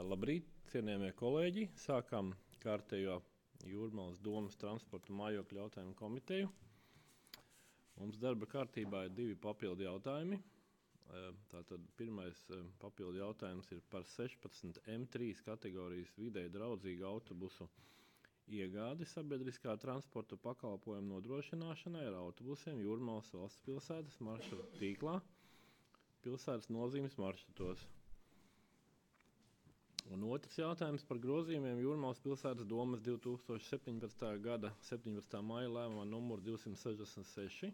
Labrīt, cienījamie kolēģi! Sākam kārtējo Jūrmalas domas transporta mājokļu jautājumu komiteju. Mums darba kārtībā ir 2 papildu jautājumi. Tātad pirmais papildu jautājums ir par 16 M3 kategorijas videi draudzīgu autobusu iegādi sabiedriskā transporta pakalpojumu nodrošināšanai ar autobusiem Jūrmalas valsts pilsētas maršrutu tīklā, pilsētas nozīmes maršrutos. Un otrs jautājums par grozījumiem Jūrmalas pilsētas domas 2017. gada 17. maija lēmumā numuru 266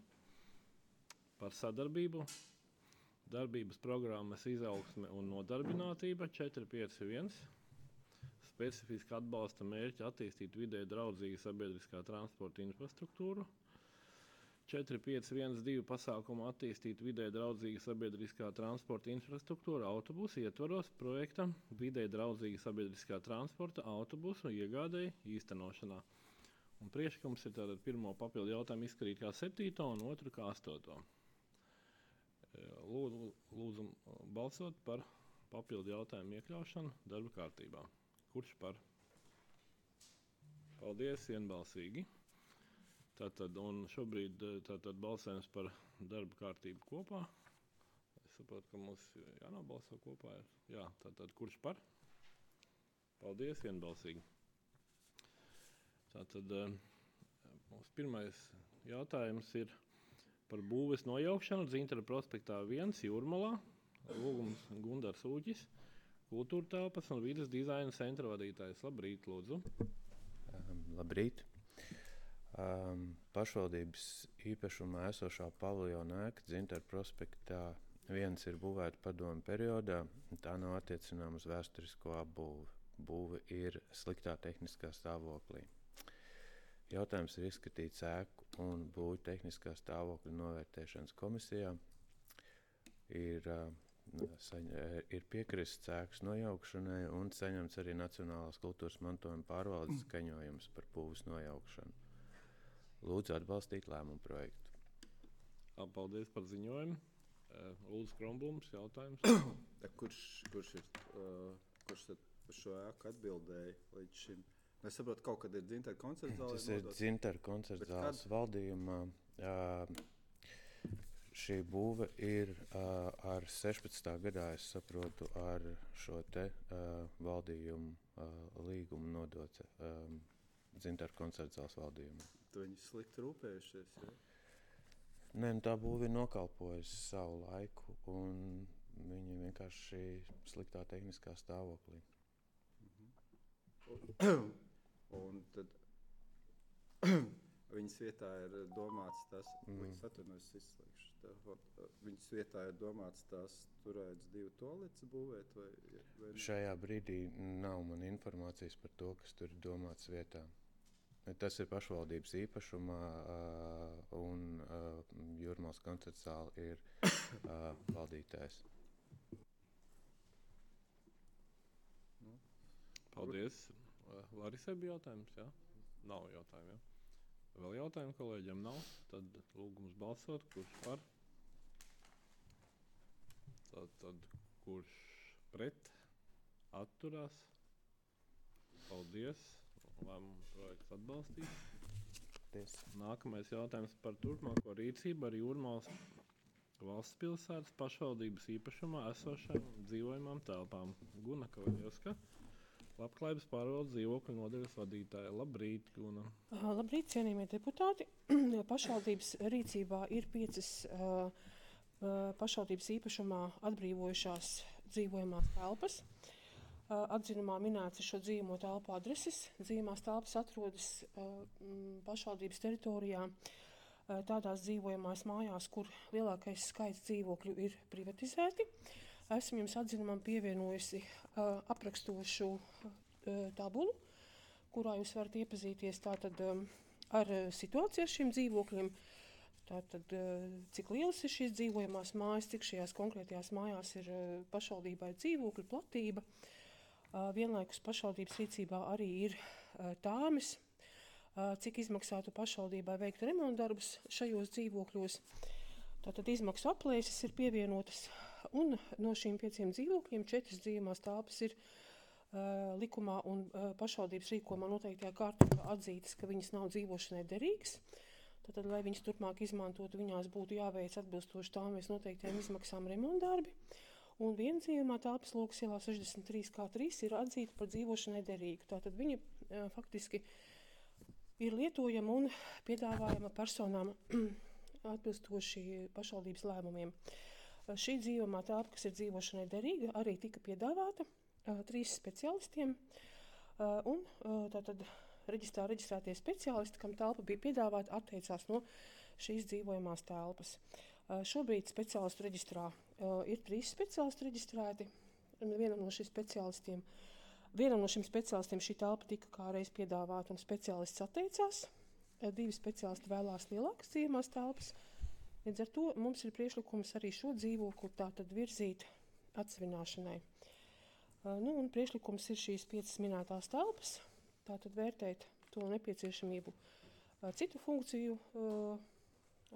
par sadarbību, darbības programmas izaugsme un nodarbinātība 451, specifiski atbalsta mērķi attīstīt vidē draudzīgu sabiedriskā transporta infrastruktūru, 4512 pasākumu attīstīt vidē draudzīga sabiedriskā transporta infrastruktūra autobusu ietvaros projekta vidē draudzīga sabiedriskā transporta autobusu iegādēji īstenošanā. Un priekšlikums ir tātad pirmo papildu jautājumu izskatīt kā 7. un otru kā 8. Lūdzu balsot par papildu jautājumu iekļaušanu darba kārtībā. Kurš par? Paldies, vienbalsīgi. Tātad, un šobrīd balsojums par darba kārtību kopā. Es saprotu, ka mums jānobalso kopā. Jā, tātad kurš par? Paldies, vienbalsīgi. Tātad mums pirmais jautājums ir par būves nojaukšanu Dzintara prospektā 1 Jūrmalā. Lūgums Gundars Ūķis, kultūra telpas un vides dizaina centra vadītājs. Labrīt, lūdzu. Labrīt. Pašvaldības īpašumā esošā paviljona ēka Dzintara prospektā 1 ir būvēta padomu periodā. Tā nav attiecināma uz vēsturisko apbūvi. Būve ir sliktā tehniskā stāvoklī. Jautājums ir izskatīts ēku un būvu tehniskā stāvokļa novērtēšanas komisijā. Ir piekrists ēkas nojaukšanai un saņemts arī Nacionālās kultūras mantojuma pārvaldes skaņojums par būves nojaukšanu. Lūdzu atbalstīt lēmumu projektu. Paldies par ziņojumu. Lūdzu Kronblums, jautājums. Kurš tad par šo ēku atbildēja līdz šim? Es saprotu, kaut kad ir Dzintara koncerta zāle. Tas ir Dzintara koncerta zāles valdījumā. Šī būve ir ar 16. gadā, es saprotu, ar šo te valdījumu līgumu nodota Dzintara koncerta zāles valdījumu. Tu viņi slikti rūpējušies, ja? Nē, tā būve ir nokalpojusi savu laiku, un viņi vienkārši sliktā tehniskā stāvoklī. Un tad viņas vietā ir domāts tas, viņas vietā ir domāts tās turētas 2 toaletes būvēt, vai ne? Šajā brīdī nav man informācijas par to, kas tur ir domāts vietā. Tas ir pašvaldības īpašumā, un Jūrmalas koncerta zāle ir valdītājs. Paldies. Larisai bija jautājums, jā? Nav jautājumu, jā? Vēl jautājumu kolēģiem nav? Tad lūgums balsot, kurš par? Tad kurš pret? Atturās? Paldies. Lēmumu projekts atbalstīt. Nākamais jautājums par turpmāko rīcību ar Jūrmalas valsts pilsētas pašvaldības īpašumā esošām dzīvojamām telpām. Guna Kavaļevska, Labklājības pārvaldes dzīvokļu nodaļas vadītāja. Labrīt, Guna. Labrīt, cienījamie deputāti. Pašvaldības rīcībā ir 5 pašvaldības īpašumā atbrīvojušās dzīvojamās telpas. Atzinumā minēts šo dzīvojamo telpu adreses. Dzīvojamās telpas atrodas pašvaldības teritorijā tādās dzīvojamās mājās, kur lielākais skaits dzīvokļu ir privatizēti. Esmu jums atzinumam pievienojusi aprakstošu tabulu, kurā jūs varat iepazīties tātad ar situāciju ar šiem dzīvokļiem. Tātad, cik lielas ir šīs dzīvojamās mājas, cik šajās konkrētajās mājās ir pašvaldībai dzīvokļu platība. Vienlaikus pašvaldības rīcībā arī ir tāmes, cik izmaksātu pašvaldībai veikt remontdarbus šajos dzīvokļos. Tātad izmaksu aplēses ir pievienotas, un no šīm 5 dzīvokļiem 4 dzīvojamās telpas ir likumā un pašvaldības rīkojumā noteiktajā kārtībā atzītas, ka viņas nav dzīvošanai derīgas. Tad, lai viņas turpmāk izmantotu, viņās būtu jāveic atbilstoši tām mēs noteiktajām izmaksām remontdarbi. Un viena dzīvojamā telpas Lūgas ielā 63K3 ir atzīta par dzīvošanai derīgu. Tātad viņa faktiski ir lietojama un piedāvājama personām atbilstoši pašvaldības lēmumiem. Šī dzīvojamā telpa, kas ir dzīvošanai derīga, arī tika piedāvāta 3 speciālistiem. Un tātad reģistrētie speciālisti, kam telpa bija piedāvāta, atteicās no šīs dzīvojamās telpas. Šobrīd speciālistu reģistrā ir 3 speciālisti reģistrēti. Vienam no šiem speciālistiem šī telpa tika kā reiz piedāvāta un speciālists atteicās. 2 speciālisti vēlās lielākas dzīvojamās telpas. Līdz ar to mums ir priekšlikums arī šo dzīvokli tātad virzīt atsevināšanai. Un priekšlikums ir šīs 5 minētās telpas. Tātad vērtēt to nepieciešamību citu funkciju,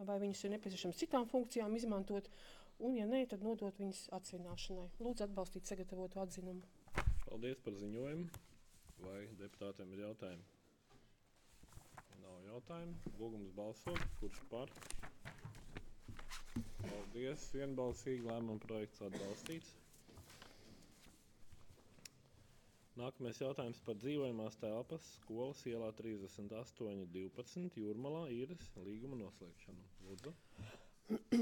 vai viņas ir nepieciešams citām funkcijām izmantot, un, ja nē, tad nodot viņas atsevināšanai. Lūdzu atbalstīt sagatavotu atzinumu. Paldies par ziņojumu. Vai deputātiem ir jautājumi? Nav jautājumu. Lūgums balsot. Kurš par? Paldies. Vienbalsīgi lēmuma projekts atbalstīts. Nākamais jautājums par dzīvojamās telpas skolas ielā 3812 Jūrmalā īres līguma noslēgšanu. Lūdzu.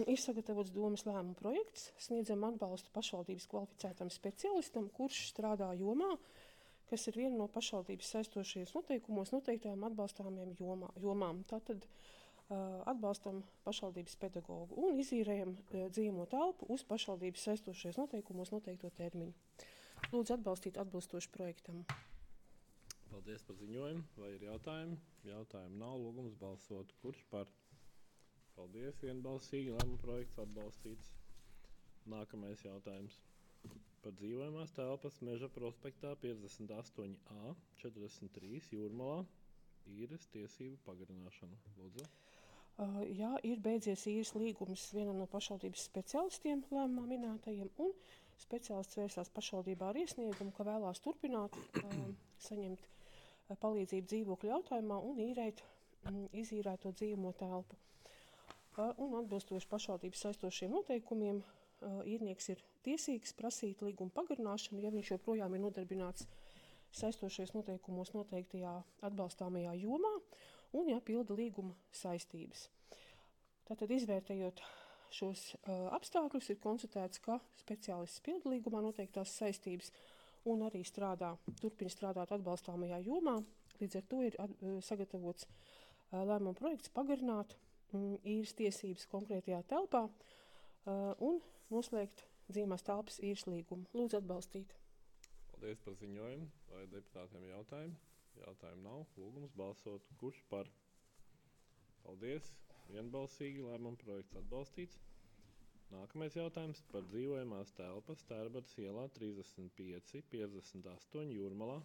Ir sagatavots domes lēmuma projekts. Sniedzam atbalstu pašvaldības kvalificētam speciālistam, kurš strādā jomā, kas ir viena no pašvaldības saistošajos noteikumos noteiktajām atbalstāmiem jomām. Tātad atbalstam pašvaldības pedagogu un izīrējam dzīvojamo telpu uz pašvaldības saistošajos noteikumos noteikto termiņu. Lūdzu atbalstīt atbilstoši projektam. Paldies par ziņojumu. Vai ir jautājumi? Jautājumu nav. Lūgums balsot. Kurš par? Paldies. Vienbalsīgi lēmuma projekts atbalstīts. Nākamais jautājums. Par dzīvojamās telpas Meža prospektā 58A 43 Jūrmalā īres tiesību pagarināšanu. Lūdzu. Jā, ir beidzies īres līgums vienam no pašvaldības speciālistiem lēmumā minētajiem, un speciālists vērsās pašvaldībā ar iesniegumu, ka vēlās turpināt saņemt palīdzību dzīvokļu jautājumā un izīrēt to dzīvojamo telpu. Un atbilstoši pašvaldības saistošiem noteikumiem īrnieks ir tiesīgs prasīt līguma pagarināšanu, ja viņš joprojām ir nodarbināts saistošajos noteikumos noteiktajā atbalstāmajā jomā un jāpilda līguma saistības. Tātad izvērtējot šos apstākļus, ir konstatēts, ka speciālists pilda līgumā noteiktās saistības un arī turpina strādāt atbalstāmajā jomā. Līdz ar to ir sagatavots lēmuma projekts pagarināt īres tiesības konkrētajā telpā un noslēgt dzīvojamās telpas īres līgumu. Lūdzu atbalstīt. Paldies par ziņojumu. Vai deputātiem jautājumi? Jautājumu nav. Lūgums balsot. Kurš par? Paldies. Vienbalsīgi lēmuma projekts atbalstīts. Nākamais jautājums par dzīvojamās telpas Tērbatas ielā 35 58 Jūrmalā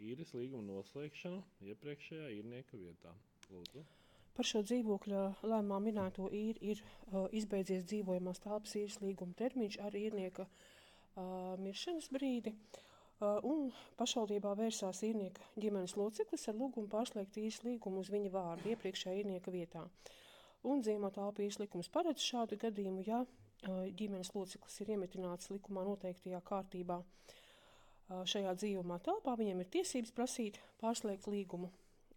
īres līguma noslēgšanu iepriekšējā īrnieka vietā. Lūdzu. Par šo dzīvokļa lēmumā minēto īri ir izbeidzies dzīvojamās telpas īres līguma termiņš ar īrnieka miršanas brīdi. Un pašvaldībā vērsās īrnieka ģimenes loceklis ar lūgumu pārslēgt īres līgumu uz viņa vārdu iepriekšējā īrnieka vietā. Un dzīvojamā telpa īres likums paredz šādu gadījumu, ja ģimenes loceklis ir iemetināts likumā noteiktajā kārtībā šajā dzīvojamā telpā, viņiem ir tiesības prasīt pārslēgt līgumu.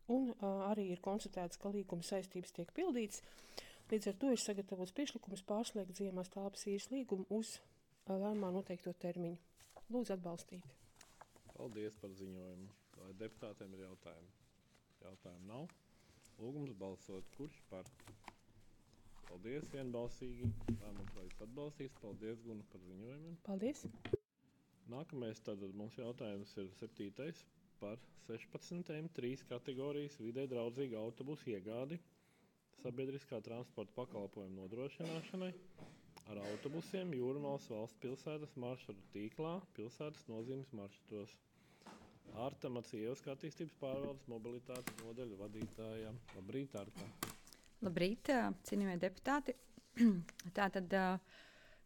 Un arī ir konstatēts, ka līguma saistības tiek pildīts. Līdz ar to ir sagatavots priekšlikums pārslēgt dzīvojamās telpas īres līgumu uz lēmumā noteikto termiņu. Lūdzu atbalstīt. Paldies par ziņojumu. Vai deputātiem ir jautājumi? Jautājumu nav. Lūgums balsot. Kurš par? Paldies. Vienbalsīgi. Lēmuma projekts atbalstīts. Paldies, Guna, par ziņojumiem. Paldies. Nākamais tad mums jautājums ir 7. par 16. 3 kategorijas vidē draudzīgu autobusu iegādi sabiedriskā transporta pakalpojumu nodrošināšanai ar autobusiem Jūrmalas valsts pilsētas maršrutu tīklā, pilsētas nozīmes maršrutos. Arta Macievska attīstības pārvaldes mobilitātes nodaļu vadītājā. Labrīt, Arta. Labrīt, cienījamie deputāti. Tātad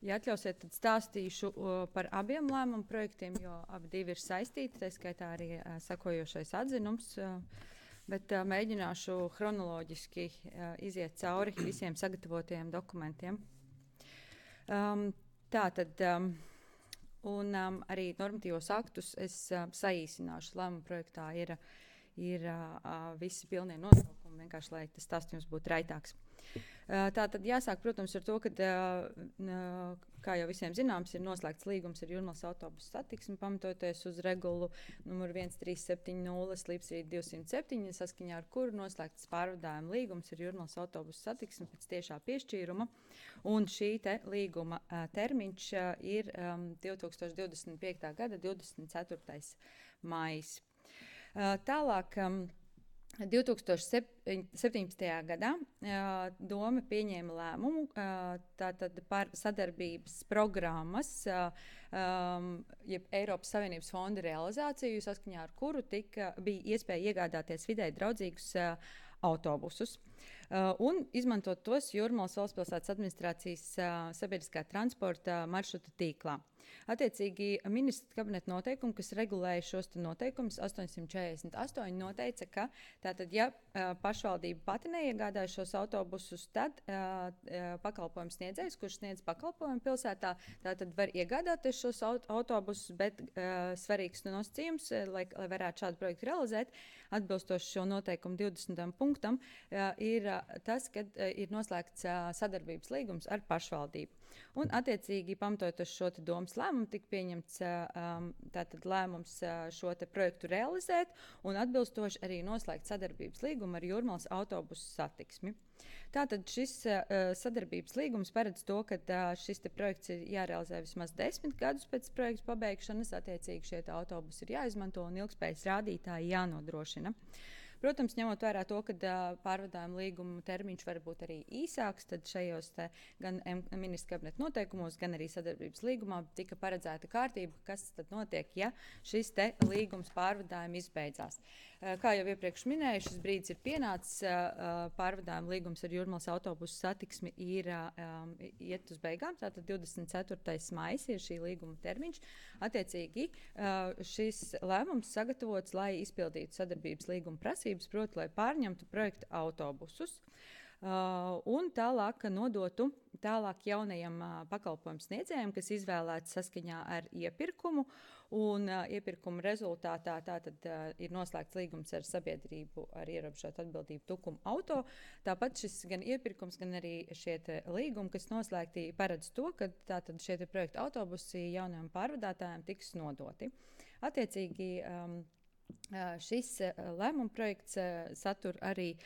Ja atļausiet, tad stāstīšu par abiem lēmumu projektiem, jo abi divi ir saistīti, tā skaitā arī sekojošais atzinums. Bet mēģināšu chronoloģiski iziet cauri visiem sagatavotajiem dokumentiem. Tātad, un arī normatīvos aktus es saīsināšu. Lēmuma projektā ir visi pilnie nosaukumi, vienkārši, lai tas stāstījums būtu raitāks. Tātad jāsāk, protams, ar to, ka, kā jau visiem zināms, ir noslēgts līgums ar Jūrmalas autobusu satiksmi, pamatoties uz regulu numuru 1370/207, saskaņā ar kuru noslēgts pārvadājuma līgums ar Jūrmalas autobusu satiksmi pēc tiešā piešķīruma. Un šī līguma termiņš ir 2025. gada 24. maijs. Tālāk, 2017. gadā Doma pieņēma lēmumu tātad par sadarbības programmas, jeb Eiropas Savienības fonda realizāciju, saskaņā ar kuru bija iespēja iegādāties vidēji draudzīgus autobusus un izmantot tos Jūrmalas valstspilsētas administrācijas sabiedriskā transporta maršrutu tīklā. Attiecīgi, ministra kabineta noteikumi, kas regulēja šos noteikumus, 848 noteica, ka tātad, ja pašvaldība pati neiegādāja šos autobusus, tad pakalpojums sniedzējs, kurš sniedz pakalpojumu pilsētā, tātad var iegādāties šos autobusus, bet svarīgs nosacījums, lai varētu šādu projektu realizēt, atbilstoši šo noteikumu 20. punktam, ir tas, ka ir noslēgts sadarbības līgums ar pašvaldību. Un, attiecīgi, pamatojoties šo Domas lēmumu, tika pieņemts tātad lēmums šo projektu realizēt un atbilstoši arī noslēgt sadarbības līgumu ar Jūrmalas autobusu satiksmi. Tātad šis sadarbības līgums paredz to, ka šis projekts ir jārealizē vismaz 10 gadus pēc projekta pabeigšanas. Attiecīgi šie autobusi ir jāizmanto un ilgspējas rādītāji jānodrošina. Protams, ņemot vērā to, ka pārvadājuma līguma termiņš var būt arī īsāks, tad šajos gan ministra kabineta noteikumos, gan arī sadarbības līgumā tika paredzēta kārtība, kas tad notiek, ja šis līgums pārvadājuma izbeidzās. Kā jau iepriekš minēju, šis brīdis ir pienācis, pārvadājuma līgums ar Jūrmalas autobusu satiksmi ir iet uz beigām, tātad 24. maijs ir šī līguma termiņš. Attiecīgi, šis lēmums sagatavots, lai izpildītu sadarbības līguma prasības, proti, lai pārņemtu projekta autobusus un tālāk nodotu jaunajam pakalpojumu sniedzējiem, kas izvēlēts saskaņā ar iepirkumu. Un iepirkuma rezultātā tātad ir noslēgts līgums ar sabiedrību ar ierobežotu atbildību Tukuma auto. Tāpat šis gan iepirkums, gan arī šie līgumi, kas noslēgti, paredz to, ka tātad šie projekta autobusi jaunajiem pārvadātājiem tiks nodoti. Attiecīgi, šis lēmuma projekts satur arī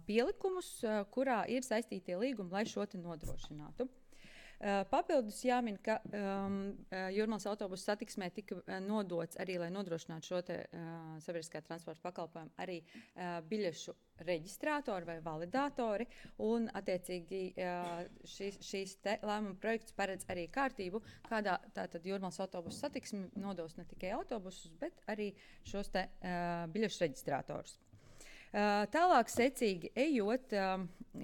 pielikumus, kurā ir saistītie līgumi, lai šo nodrošinātu. Papildus jāmin, ka Jūrmalas autobusu satiksmē tika nodots arī, lai nodrošinātu šo sabiedriskā transporta pakalpojumu, arī biļešu reģistrātori vai validātori. Un, attiecīgi, šīs lēmuma projekts paredz arī kārtību, kādā tātad Jūrmalas autobusu satiksmi nodos ne tikai autobusus, bet arī šos biļešu reģistrātorus. Tālāk, secīgi ejot,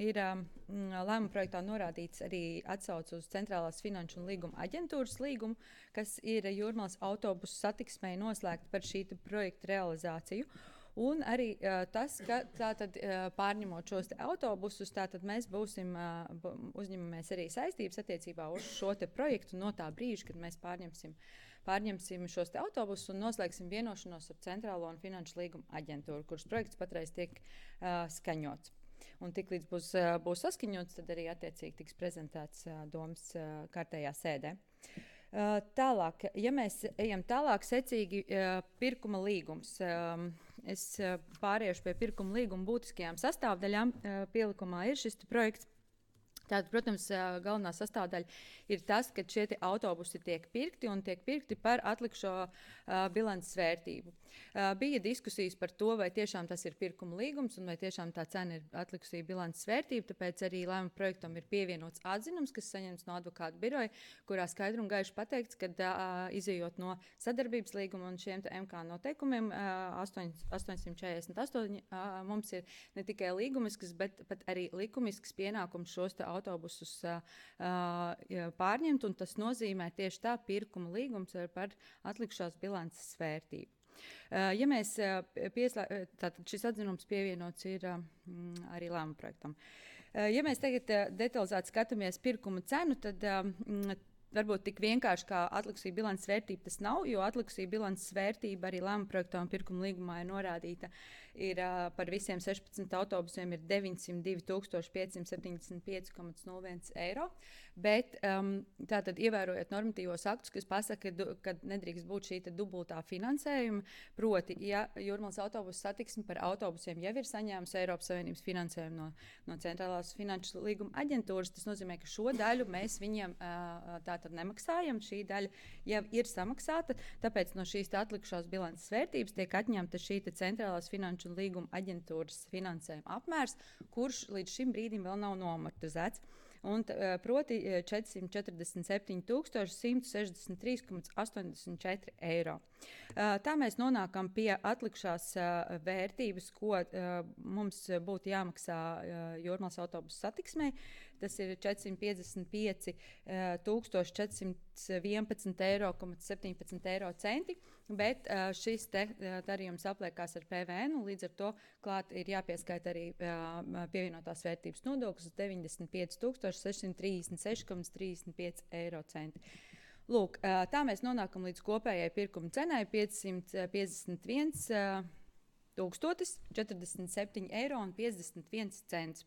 ir lēmuma projektā norādīts arī atsauce uz Centrālās finanšu un līguma aģentūras līgumu, kas ir Jūrmalas autobusu satiksmei noslēgta par šī projekta realizāciju. Un arī tas, ka tātad, pārņemot šos autobusus, tātad mēs uzņemamies arī saistības attiecībā uz šo projektu no tā brīža, kad mēs pārņemsim šos autobusus un noslēgsim vienošanos ar Centrālo un finanšu līguma aģentūru, kuras projekts patreiz tiek skaņots. Un tiklīdz būs saskaņots, tad arī attiecīgi tiks prezentēts Domas kārtējā sēdē. Tālāk, ja mēs ejam tālāk, secīgi pirkuma līgums. Es pāriešu pie pirkuma līguma būtiskajām sastāvdaļām. Pielikumā ir šis projekts. Tātad, protams, galvenā sastāvdaļa ir tas, ka šie autobusi tiek pirkti un tiek pirkti par atlikušo bilances vērtību. Bija diskusijas par to, vai tiešām tas ir pirkuma līgums un vai tiešām tā cena ir atlikusī bilances vērtība, tāpēc arī lēmuma projektam ir pievienots atzinums, kas saņemts no advokātu biroja, kurā skaidri un gaiši pateikts, ka izejot no sadarbības līguma un šiem MK noteikumiem 848 mums ir ne tikai līgumisks, bet pat arī likumisks pienākums šos autobusus pārņemt, un tas nozīmē tieši tā pirkuma līgums par atlikušās bilances vērtību. Ja mēs tātad šis atzinums pievienots ir arī lēmuma projektam. Ja mēs tagad detalizēti skatāmies pirkuma cenu, tad varbūt tik vienkārši kā atlikusī bilances vērtība tas nav, jo atlikusī bilances vērtība arī lēmuma projektā un pirkuma līgumā ir norādīta. Ir par visiem 16 autobusiem ir 902,575,01 eiro, bet tātad ievērojot normatīvos aktus, kas pasaka, ka nedrīkst būt šī dubultā finansējuma, proti, ja Jūrmalas autobusu satiksme par autobusiem jau ir saņēmusi Eiropas Savienības finansējumu no Centrālās finanšu līguma aģentūras, tas nozīmē, ka šo daļu mēs viņiem tātad nemaksājam, šī daļa jau ir samaksāta, tāpēc no šīs atlikušās bilances vērtības tiek atņemta šī Centrālās finanšu līguma aģentūras finansējuma apmērs, kurš līdz šim brīdim vēl nav noamortizēts. Un, proti 447,163,84 eiro. Tā mēs nonākam pie atlikušās vērtības, ko mums būtu jāmaksā Jūrmalas autobusu satiksmei. Tas ir 455,411,17 eiro centi, bet šis darījums apliekās ar PVN, un līdz ar to klāt ir jāpieskaita arī pievienotās vērtības nodoklis 95,636,35 eiro centi. Lūk, tā mēs nonākam līdz kopējai pirkuma cenai 551,047,51 eiro.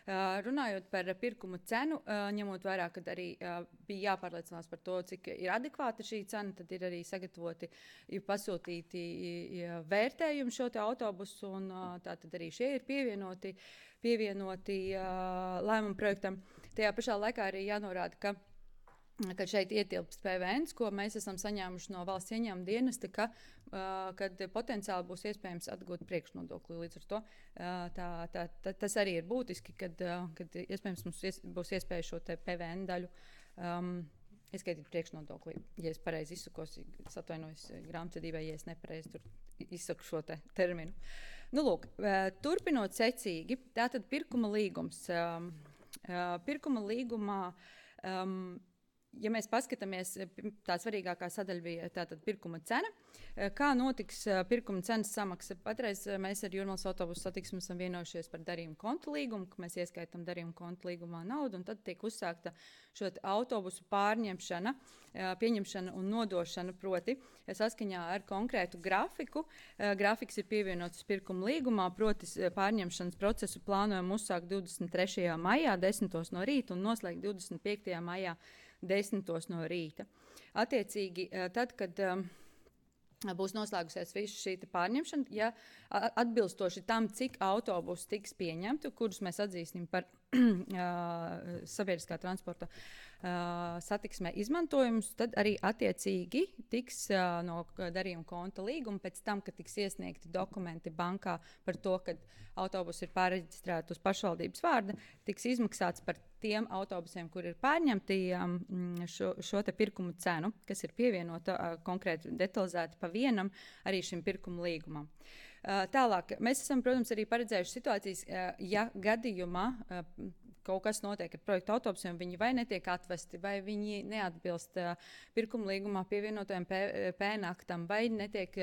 Runājot par pirkumu cenu, ņemot vērā, ka arī bija jāpārliecinās par to, cik ir adekvāta šī cena, tad ir arī sagatavoti, pasūtīti vērtējumi šo te autobusu, un tātad arī šie ir pievienoti lēmuma projektam. Tajā pašā laikā arī jānorāda, ka šeit ietilpst PVN, ko mēs esam saņēmuši no valsts ieņēmuma dienesta, kad potenciāli būs iespējams atgūt priekšnodokli. Līdz ar to tas arī ir būtiski, kad iespējams mums būs iespēja šo te PVN daļu ieskaitīt priekšnodokli. Ja es pareizi izsakos, es atvainojos grāmatvedībai, ja es nepareizi tur izsaku šo te terminu. Nu, lūk, turpinot secīgi, tātad pirkuma līgums. Pirkuma līgumā ja mēs paskatāmies, tā svarīgākā sadaļa bija tātad pirkuma cena. Kā notiks pirkuma cenas samaksa? Patreiz mēs ar Jūrmalas autobusu satiksmi esam vienojušies par darījumu konta līgumu, ka mēs ieskaitam darījumu konta līgumā naudu, un tad tiek uzsākta šo autobusu pārņemšana, pieņemšana un nodošana, proti saskaņā ar konkrētu grafiku. Grafiks ir pievienots pirkuma līgumā, proti pārņemšanas procesu plānojam uzsākt 23. maijā 10. no rīta un noslēgt 25. maijā 10. no rīta. Attiecīgi, tad, kad būs noslēgusies visu šī pārņemšana, ja atbilstoši tam, cik autobusu tiks pieņemti, kurus mēs atzīsim par sabiedriskā transporta satiksmē izmantojumus, tad arī attiecīgi tiks no darījuma konta līguma pēc tam, kad tiks iesniegti dokumenti bankā par to, ka autobusi ir pārreģistrēti uz pašvaldības vārda, tiks izmaksāts par tiem autobusiem, kur ir pārņemti šo te pirkumu cenu, kas ir pievienota konkrēti detalizēti pa vienam arī šim pirkumu līgumam. Tālāk, mēs esam, protams, arī paredzējuši situācijas, ja gadījumā kaut kas notiek ar projektu autobusiem, viņi vai netiek atvesti, vai viņi neatbilst pirkuma līgumā pievienotajam PN aktam, vai netiek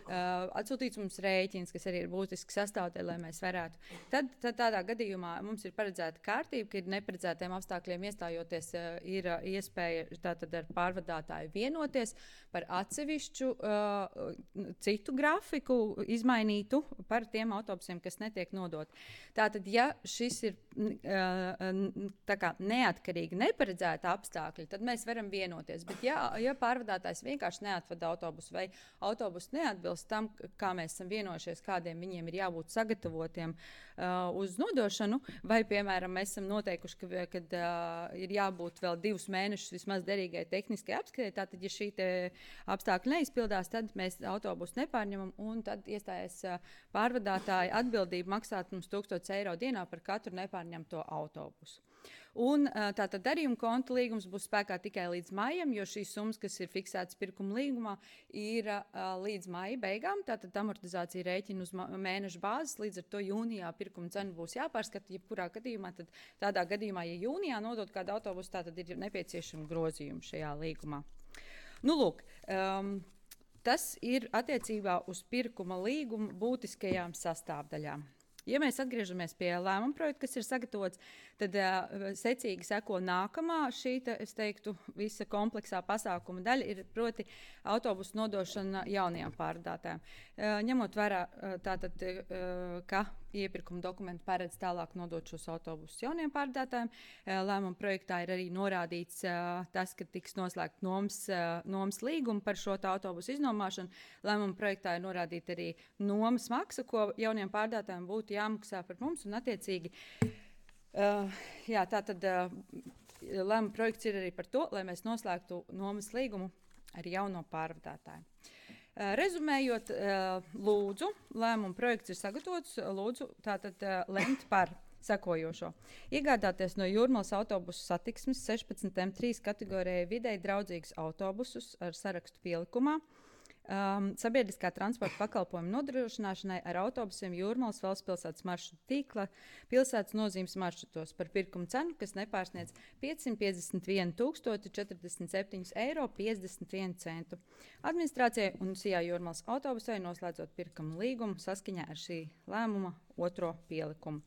atsūtīts mums rēķins, kas arī ir būtiski sastāvdaļa, lai mēs varētu. Tad tādā gadījumā mums ir paredzēta kārtība, ka ir neparedzētiem apstākļiem iestājoties ir iespēja tātad ar pārvadātāju vienoties par atsevišķu citu grafiku izmainītu par tiem autobusiem, kas netiek nodot. Tātad, ja šis ir tā kā neatkarīgi neparedzēta apstākļi, tad mēs varam vienoties. Bet ja pārvadātājs vienkārši neatvada autobusu vai autobusu neatbilst tam, kā mēs esam vienojušies, kādiem viņiem ir jābūt sagatavotiem uz nodošanu, vai, piemēram, mēs esam noteikuši, ka ir jābūt vēl 2 mēnešus vismaz derīgai tehniskai apskatē, tātad, ja šī apstākļi neizpildās, tad mēs autobusu nepārņemam, un tad iestājas pārvadātāja atbildība maksāt mums 1000 eiro dienā par katru nepārņemto autobusu. Un tātad darījuma konta līgums būs spēkā tikai līdz maijam, jo šīs summas, kas ir fiksētas pirkuma līgumā, ir līdz maija beigām. Tātad amortizācija rēķina uz mēneša bāzes, līdz ar to jūnijā pirkuma cena būs jāpārskata. Jebkurā gadījumā, tad tādā gadījumā, ja jūnijā nodot kādu autobusu, tātad ir nepieciešama grozījuma šajā līgumā. Nu, lūk, tas ir attiecībā uz pirkuma līgumu būtiskajām sastāvdaļām. Ja mēs atgriežamies pie lēmuma projekta, kas ir sagatavots, tad secīgi seko nākamā šī, es teiktu, visa kompleksā pasākuma daļa ir proti autobusu nodošana jaunajām pārvadātājiem. Ņemot vērā tātad, ka iepirkuma dokumenti paredz tālāk nodot šos autobusus jauniem pārvadātājiem, lēmuma projektā ir arī norādīts tas, ka tiks noslēgt nomas līgumu par šo autobusu iznomāšanu. Lēmuma projektā ir norādīta arī nomas maksa, ko jauniem pārvadātājiem būtu jāmaksā par mums, un attiecīgi tātad lēmuma projekts ir arī par to, lai mēs noslēgtu nomas līgumu ar jauno pārvadātāju. Rezumējot, lūdzu, lēmuma projekts ir sagatavots, lūdzu tātad lemt par sekojošo. Iegādāties no Jūrmalas autobusu satiksmes 16 M3 kategorijai videi draudzīgus autobusus ar sarakstu pielikumā, sabiedriskā transporta pakalpojuma nodrošināšanai ar autobusiem Jūrmalas valsts pilsētas maršrutu tīkla pilsētas nozīmes maršrutos par pirkuma cenu, kas nepārsniedz 551 047,51 €. Administrācijai un SIA Jūrmalas autobusai noslēdzot pirkuma līgumu saskaņā ar šī lēmuma otro pielikumu.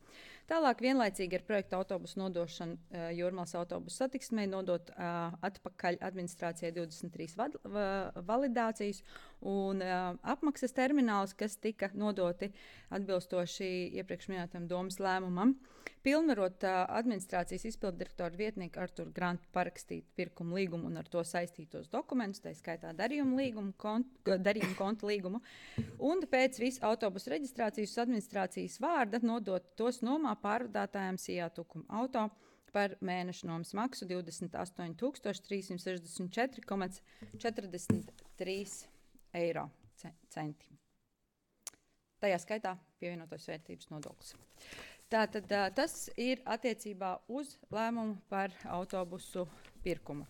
Tālāk vienlaicīgi ar projektu autobusu nodošanu Jūrmalas autobusu satiksmei nodot atpakaļ administrācijai 23 validācijas un apmaksas terminālus, kas tika nodoti atbilstoši iepriekš minētam domas lēmumam. Pilnvarot administrācijas izpilddirektora vietnieku Arturu Grantu parakstīt pirkuma līgumu un ar to saistītos dokumentus, tā skaitā darījuma konta līgumu, un pēc visu autobusu reģistrācijas administrācijas vārda nodot tos nomā pārvadātājiem SIA Tukuma auto par mēneša nomas maksu 28 364,43 €. Tajā skaitā pievienotās vērtības nodoklis. Tātad tas ir attiecībā uz lēmumu par autobusu pirkumu.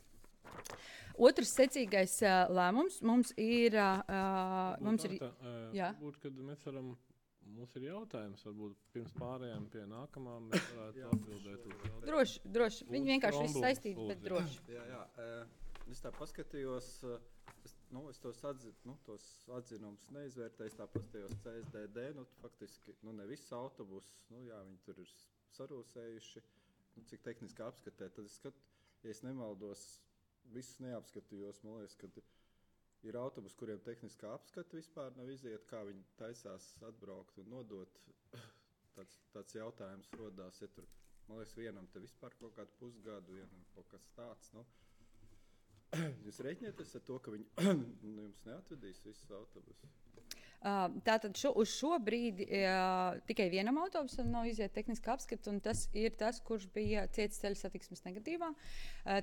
Otrs secīgais lēmums mums ir... Varbūt, kad mēs varam, mums ir jautājums, varbūt pirms pārējām pie nākamā mēs varētu atbildēt uz jautājumu. Droši. Viņi vienkārši viss saistīti, bet droši. Es tā paskatījos, es tos atzinumus neizvērtēju, tā paskatījos CSDD, faktiski, ne visi autobusi, viņi tur ir sarūsējuši, cik tehniski apskatē, tad es skatu, ja es nemaldos, visus neapskatījos, man liekas, ka ir autobusi, kuriem tehniskā apskata vispār nav iziet, kā viņi taisās atbraukt un nodot. Tāds jautājums rodās, ja tur, man liekas, vienam te vispār kaut kādu pusgadu, vienam kaut kas tāds, Jūs reiķinieties ar to, ka viņi jums neatvedīs visus autobusus? Tātad uz šo brīdi tikai vienam autobusam nav iziet tehniska apskata, un tas ir tas, kurš bija cietis ceļu satiksmes negatīvā.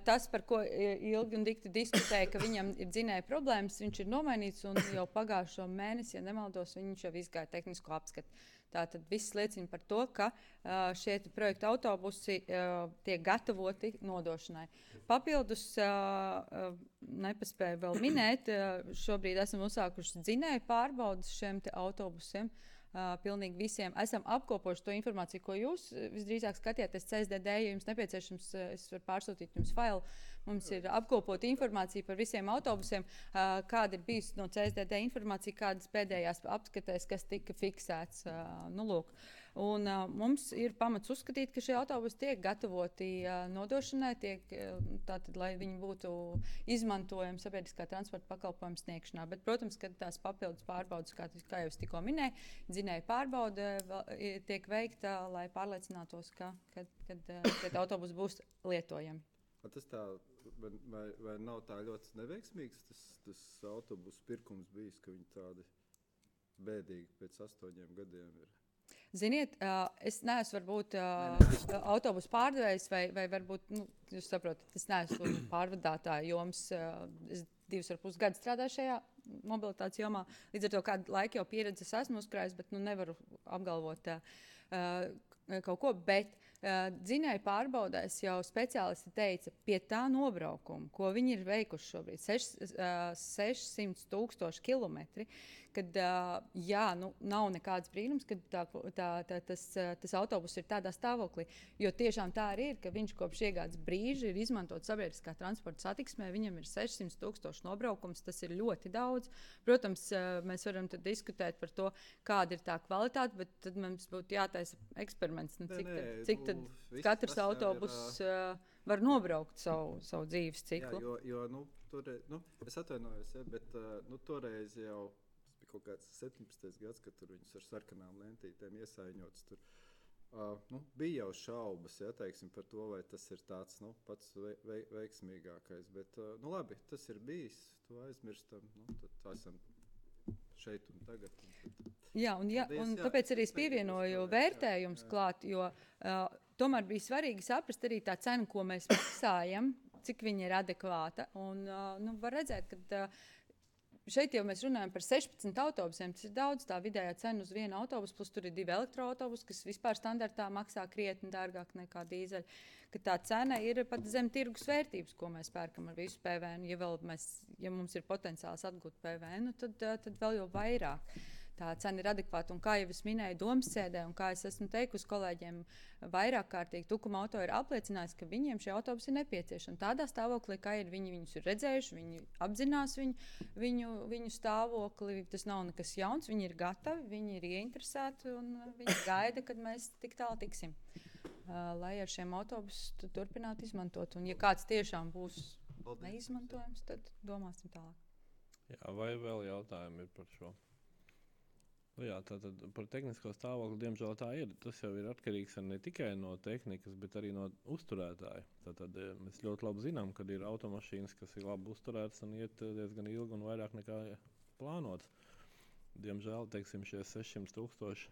Tas, par ko ilgi un dikti diskutēja, ka viņam ir dzinēja problēmas, viņš ir nomainīts, un jau pagājušo mēnesi, ja nemaldos, viņš jau izgāja tehnisko apskatu. Tātad viss liecina par to, ka šie projekta autobusi tiek gatavoti nodošanai. Papildus nepaspēju vēl minēt, šobrīd esam uzsākuši dzinēju pārbaudas šiem autobusiem. Pilnīgi visiem esam apkopojuši to informāciju, ko jūs visdrīzāk skatieties CSDD, ja jums nepieciešams, es varu pārsūtīt jums failu. Mums ir apkopota informācija par visiem autobusiem, kāda ir bijusi no CSDD informācija, kādas pēdējās apskatēs, kas tika fiksēts. Lūk. Un mums ir pamats uzskatīt, ka šie autobusi tiek gatavoti nodošanai, tātad, lai viņi būtu izmantojami sabiedriskā transporta pakalpojuma sniegšanā. Bet, protams, kad tās papildus pārbaudas, kā jau es tikko minēju, dzinēja pārbaude tiek veikta, lai pārliecinātos, ka autobusi būs lietojami. Tas tā, vai nav tā ļoti neveiksmīgs tas autobusu pirkums bijis, ka viņi tādi bēdīgi pēc 8 gadiem ir? Ziniet, es neesmu varbūt autobusu pārdevējs vai varbūt, jūs saprotat, es neesmu pārvadātāja joms. Es 2,5 gadu strādāju šajā mobilitātes jomā. Līdz ar to kādu laiku jau pieredzes esmu uzkrājis, bet nevaru apgalvot kaut ko. Bet Dzinēju pārbaudēs jau speciālisti teica, pie tā nobraukuma, ko viņi ir veikuši šobrīd, 600,000 kilometri, kad nav nekāds brīnums, ka tas autobus ir tādā stāvoklī. Jo tiešām tā arī ir, ka viņš kopš iegādes brīža ir izmantot sabiedriskā transporta satiksmē, viņam ir 600,000 nobraukums, tas ir ļoti daudz. Protams, mēs varam diskutēt par to, kāda ir tā kvalitāte, bet tad mums būtu jātaisa eksperiments, cik tad katrs autobus var nobraukt savu dzīves ciklu. Jā, es atvainojos, bet toreiz jau kaut kāds 17. gads, kad tur viņus ar sarkanām lentītēm iesaiņots. Bija jau šaubas, teiksim, par to, vai tas ir tāds pats veiksmīgākais. Bet, labi, tas ir bijis, to aizmirstam. Tad esam šeit un tagad. Jā, un tāpēc arī es pievienoju vērtējums klāt, jo tomēr bija svarīgi saprast arī tā cena, ko mēs maksājam, cik viņa ir adekvāta. Un var redzēt, ka šeit jau mēs runājam par 16 autobusiem. Tas ir daudz, tā vidējā cena uz vienu autobusu, plus tur ir 2 elektroautobusi, kas vispār standartā maksā krietni dārgāk nekā dīzeļi. Ka tā cena ir pat zem tirgus vērtības, ko mēs pērkam ar visu PVN. Ja mums ir potenciāls atgūt PVN, tad vēl jau vairāk. Tā cena ir adekvāta, un kā jau es minēju domas sēdē, un kā es esmu teikusi kolēģiem vairāk kārtīgi, Tukuma auto ir apliecinājis, ka viņiem šie autobusi ir nepieciešami. Tādā stāvoklī, kā ir, viņi viņus ir redzējuši, viņi apzinās viņu stāvokli, tas nav nekas jauns, viņi ir gatavi, viņi ir ieinteresēti, un viņi gaida, kad mēs tik tālu tiksim, lai ar šiem autobusiem turpinātu izmantot. Un ja kāds tiešām būs neizmantojams, tad domāsim tālāk. Jā, vai vēl jautājumi ir par šo? Jā, tātad par tehnisko stāvokli, diemžēl tā ir. Tas jau ir atkarīgs ne tikai no tehnikas, bet arī no uzturētāja. Tātad mēs ļoti labi zinām, ka ir automašīnas, kas ir labi uzturētas un iet diezgan ilgi un vairāk nekā plānots. Diemžēl, teiksim, šie 600,000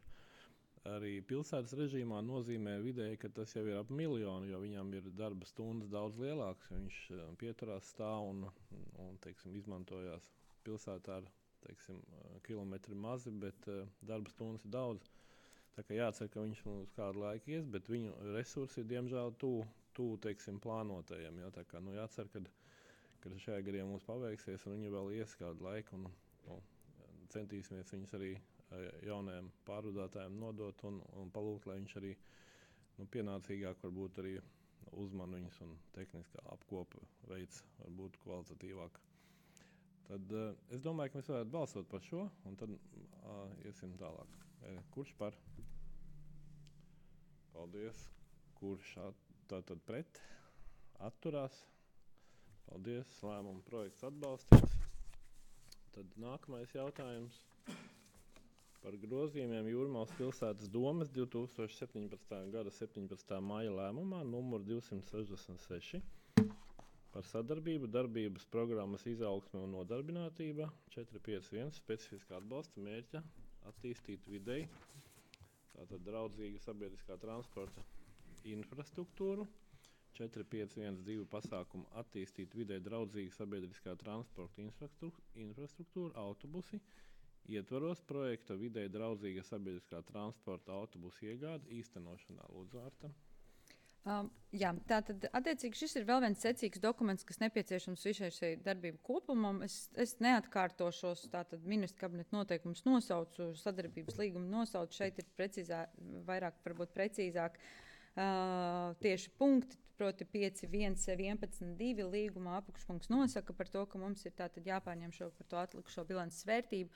arī pilsētas režīmā nozīmē vidēji, ka tas jau ir ap 1 miljonu, jo viņam ir darba stundas daudz lielākas. Viņš pieturās stāv un teiksim, izmantojās pilsētā ar kilometri mazi, bet darba stundas ir daudz. Tā kā jācer, ka viņš uz kādu laiku ies, bet viņu resursi ir diemžēl tuvu plānotajiem. Tā kā jācer, ka šajā gadā mums paveiksies un viņi vēl ies kādu laiku. Centīsimies viņus arī jaunajiem pārvadātājiem nodot un palūgt, lai viņš arī pienācīgāk varbūt arī uzman viņus un tehniskā apkopa veids varbūt kvalitatīvāk. Tad es domāju, ka mēs varētu balsot par šo, un tad iesim tālāk. Kurš par? Paldies. Kurš tātad pret? Atturās? Paldies. Lēmuma projekts atbalstīts. Tad nākamais jautājums par grozījumiem Jūrmalas pilsētas domes 2017. gada 17. maija lēmumā numur 266. Par sadarbību, darbības programmas izaugsme un nodarbinātība 451 specifiskā atbalsta mērķa attīstīt videi, tātad draudzīga sabiedriskā transporta infrastruktūru, 4512 pasākumu attīstīt videi draudzīga sabiedriskā transporta infrastruktūra, autobusi, ietvaros projekta videi draudzīga sabiedriskā transporta autobusu iegāde īstenošanā. Lūdzu, Arta. Jā, tātad attiecīgi šis ir vēl viens secīgs dokuments, kas nepieciešams visai šai darbību kopumam. Es neatkārtošos, tātad ministra kabineta noteikumus nosaucu, sadarbības līgumu nosaucu. Šeit ir vairāk varbūt precīzāk tieši punkti, proti 5.1.11.2 līguma apakšpunkts nosaka par to, ka mums ir tātad jāpārņem par to atlikušo bilances vērtību.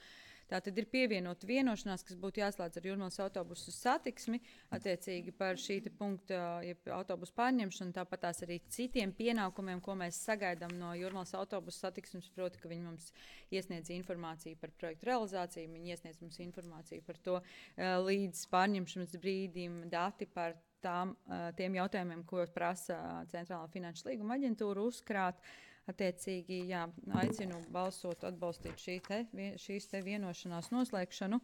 Tātad ir pievienota vienošanās, kas būtu jāslēdz ar Jūrmalas autobusu satiksmi, attiecīgi par šī punkta autobusu pārņemšanu, tāpat tās arī citiem pienākumiem, ko mēs sagaidām no Jūrmalas autobusu satiksmes, proti, ka viņi mums iesniedz informāciju par projektu realizāciju, viņi iesniedz mums informāciju par to līdz pārņemšanas brīdim, dati par tiem jautājumiem, ko prasa Centrālā finanšu līguma aģentūra uzkrāt. Attiecīgi, aicinu balsot, atbalstīt šīs vienošanās noslēgšanu,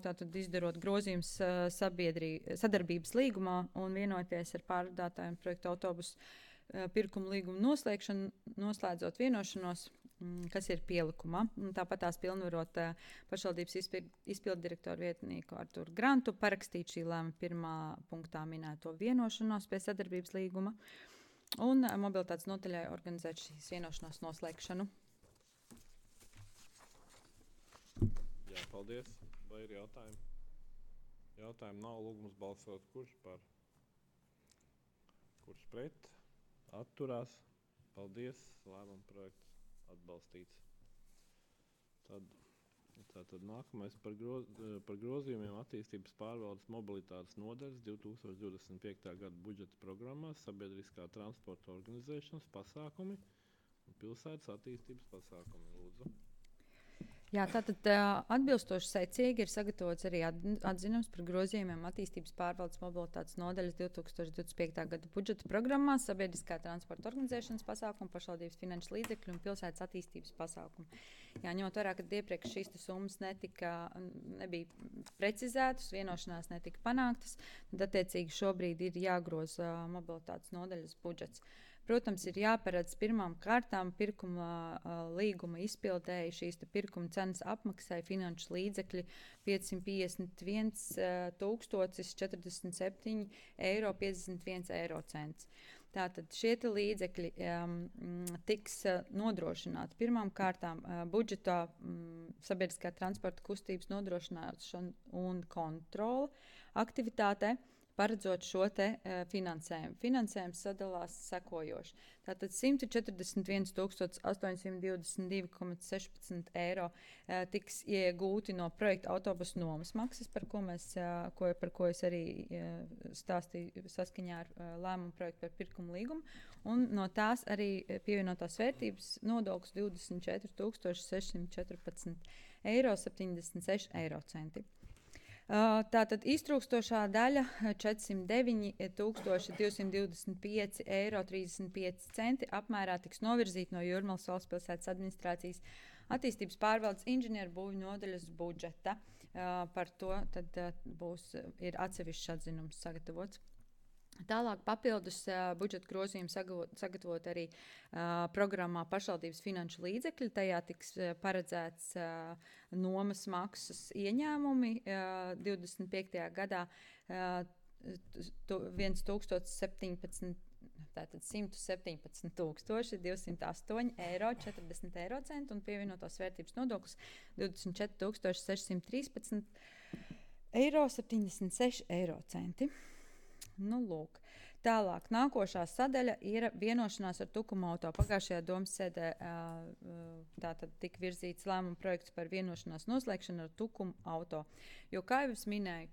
tātad izdarot grozījums sadarbības līgumā un vienoties ar pārvadātājiem projektu autobusu pirkumu līgumu noslēgšanu, noslēdzot vienošanos kas ir pielikumā. Tāpat tās pilnvarot pašvaldības izpilddirektoru vietnieku Arturu Grantu parakstīt šī lēma 1. punktā minēto vienošanos pie sadarbības līguma un mobilitātes nodaļai organizēt šīs vienošanās noslēgšanu. Jā, paldies. Vai ir jautājumi? Jautājumi nav, lūgums balsot. Kurš par? Kurš pret? Atturās. Paldies. Lēmuma projekts atbalstīts. Tātad nākamais par grozījumiem attīstības pārvaldes mobilitātes nodaļas 2025. gada budžeta programmās sabiedriskā transporta organizēšanas pasākumi un pilsētas attīstības pasākumi. Lūdzu. Jā, tātad atbilstoši secīgi ir sagatavots arī atzinums par grozījumiem attīstības pārvaldes mobilitātes nodaļas 2025. gada budžeta programmā sabiedriskā transporta organizēšanas pasākumu, pašvaldības finanšu līdzekļu un pilsētas attīstības pasākumu. Jā, ņemot vērā, ka iepriekš šīs summas nebija precizētas, vienošanās netika panāktas, tad attiecīgi šobrīd ir jāgroza mobilitātes nodaļas budžets. Protams, ir jāparedz pirmām kārtām pirkuma līguma izpildēji šīs pirkuma cenas apmaksai finanšu līdzekļi 551 047,51 eiro. Tātad šie līdzekļi tiks nodrošināti pirmām kārtām budžetā sabiedriskā transporta kustības nodrošināšana un kontrole aktivitātē. Paredzot šo finansējumu. Finansējums sadalās sekojoši. Tātad 141 822,16 eiro tiks iegūti no projekta autobusu nomas maksas, par ko es arī stāstīju saskaņā ar lēmumu projektu par pirkumu līgumu. Un no tās arī pievienotās vērtības nodoklis 24 614,76 eiro. Tātad iztrūkstošā daļa 409,225,35 eiro apmērā tiks novirzīta no Jūrmalas valsts pilsētas administrācijas attīstības pārvaldes inženieru būvju nodaļas budžeta. Par to tad ir atsevišķs atzinums sagatavots. Tālāk papildus budžeta grozījumu sagatavot arī programmā pašvaldības finanšu līdzekļi. Tajā tiks paredzēts nomas maksas ieņēmumi 25. gadā 117,208,40 eiro un pievienotās vērtības nodoklis 24,613,76 eiro. Nu, lūk. Tālāk, nākošā sadaļa ir vienošanās ar Tukuma auto. Pagājušajā domas sēdē tātad tika virzīts lēmuma projekts par vienošanās noslēgšanu ar Tukuma auto. Jo, kā jau es minēju,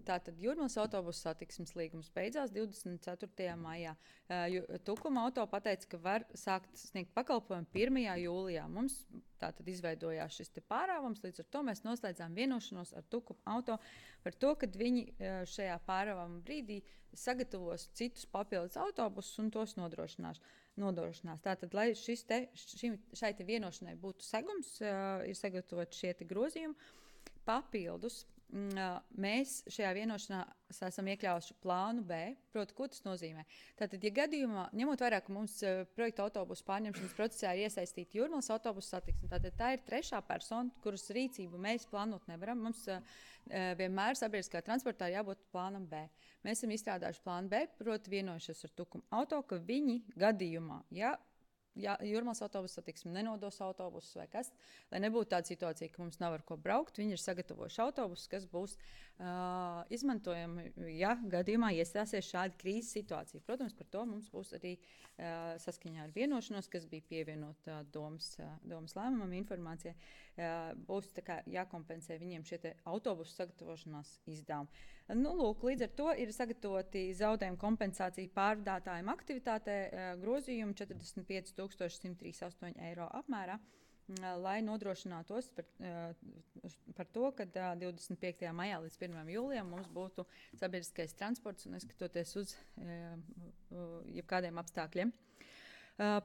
tātad Jūrmalas autobusu satiksmes līgums beidzās 24. maijā. Tukuma auto pateica, ka var sākt sniegt pakalpojumu 1. jūlijā. Mums tātad izveidojās šis pārāvums, līdz ar to mēs noslēdzām vienošanos ar Tukuma auto par to, ka viņi šajā pārāvuma brīdī sagatavos citus papildus autobusus un tos nodrošinās. Tātad, lai šai vienošanai būtu segums, ir sagatavot šie grozījumi papildus. Mēs šajā vienošanā esam iekļāvuši plānu B. Proti, ko tas nozīmē? Tātad, ja gadījumā, ņemot vērā, ka mums projekta autobusu pārņemšanas procesā ir iesaistīta Jūrmalas autobusu satiksme, tātad tā ir trešā persona, kuras rīcību mēs plānot nevaram. Mums vienmēr sabiedriskā transportā jābūt plānam B. Mēs esam izstrādājuši plānu B, proti vienojušies ar Tukuma auto, ka viņi gadījumā, ja Jūrmalas autobusu satiksme nenodos autobusus vai kas, lai nebūtu tāda situācija, ka mums nav ar ko braukt, viņi ir sagatavojuši autobusus, kas būs izmantojami, ja gadījumā iestāsies šāda krīzes situācija. Protams, par to mums būs arī saskaņā ar vienošanos, kas bija pievienota domas lēmumam informācijai, būs jākompensē viņiem šie autobusu sagatavošanās izdevumi. Nu, lūk, līdz ar to ir sagatavoti zaudējumu kompensācija pārvadātājiem aktivitātē grozījumi 45,138 eiro apmērā, lai nodrošinātos par to, ka 25. maijā līdz 1. jūlijam mums būtu sabiedriskais transports un neskatoties uz jebkādiem apstākļiem.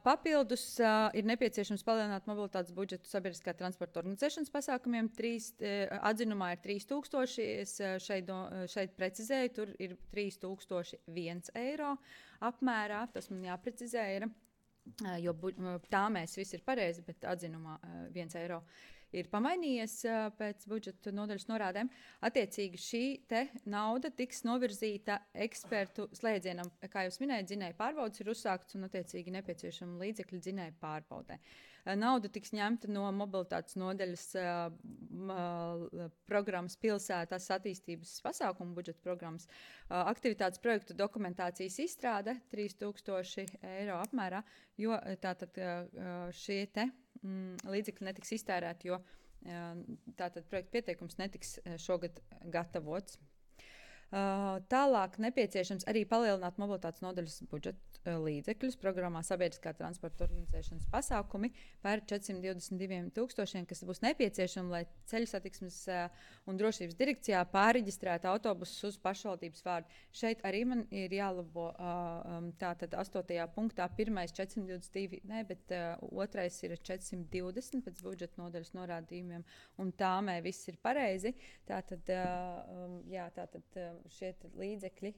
Papildus ir nepieciešams palielināt mobilitātes budžetu sabiedriskā transporta organizēšanas pasākumiem. Atzinumā ir 3,000, es šeit precizēju, tur ir 3,001 eiro apmērā, tas man jāprecizē ir. jo tā mēs visi ir pareizi, bet atzinumā 1 eiro ir pamainījies pēc budžeta nodaļas norādēm. Attiecīgi šī te nauda tiks novirzīta ekspertu slēdzienam. Kā jūs minējat, dzinēja pārbaudas ir uzsākts un attiecīgi nepieciešama līdzekļi dzinēja pārbaudē. Nauda tiks ņemta no mobilitātes nodaļas programmas pilsētas attīstības pasākumu budžeta programmas. Aktivitātes projektu dokumentācijas izstrāde 3000 eiro apmērā, jo tātad šie te līdzekļi netiks iztērēti, jo tātad projekta pieteikums netiks šogad gatavots. Tālāk nepieciešams arī palielināt mobilitātes nodaļas budžeta līdzekļus programmā sabiedriskā transporta organizēšanas pasākumi par 422 000, kas būs nepieciešami, lai ceļu satiksmes un drošības direkcijā pārreģistrētu autobusus uz pašvaldības vārdu. Šeit arī man ir jālabo tātad 8. punktā pirmais 422, ne, bet otrais ir 420 pēc budžeta nodaļas norādījumiem, un tāmē viss ir pareizi. Tātad, tātad šie līdzekļi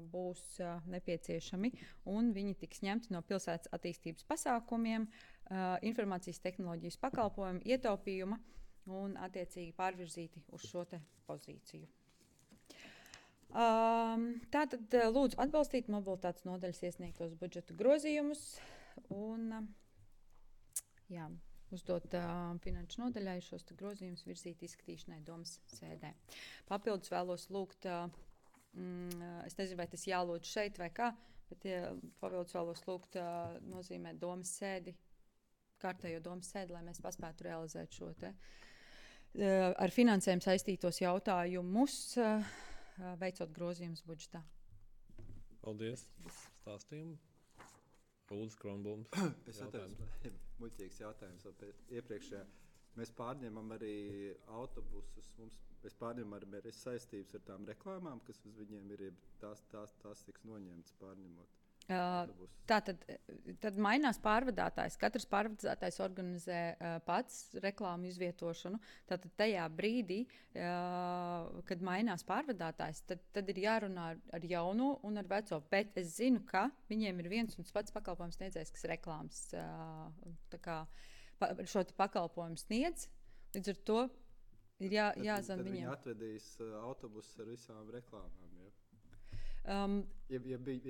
būs nepieciešami, un viņi tiks ņemti no pilsētas attīstības pasākumiem, informācijas tehnoloģijas pakalpojumu, ietaupījuma un attiecīgi pārvirzīti uz šo te pozīciju. Tātad lūdzu atbalstīt mobilitātes nodaļas iesniegtos budžeta grozījumus un uzdot finanšu nodaļai šos grozījumus virzīt izskatīšanai domas sēdē. Papildus vēlos lūgt, es nezinu, vai tas jālūdz šeit vai kā, bet papildus vēlos lūgt nozīmēt domas sēdi, kārtējo domas sēdi, lai mēs paspētu realizēt šo te ar finansējumu saistītos jautājumus, veicot grozījumus budžetā. Paldies stāstījumu. Lūdzu, Kronblums. Es atceros, muļķīgs jautājums iepriekšējā. Mēs pārņemam arī autobusus, mēs pārņemam arī saistības ar tām reklāmām, kas uz viņiem ir, tās tiks noņemtas pārņemot. Tad mainās pārvadātājs. Katrs pārvadātājs organizē pats reklāmu izvietošanu. Tātad tajā brīdī, kad mainās pārvadātājs, tad ir jārunā ar jauno un ar veco. Bet es zinu, ka viņiem ir viens un pats pakalpojums sniedzējs, kas reklāmas šo pakalpojumu sniedz. Līdz ar to ir jāzina viņiem. Viņi atvedīs autobusus ar visām reklāmām. Ja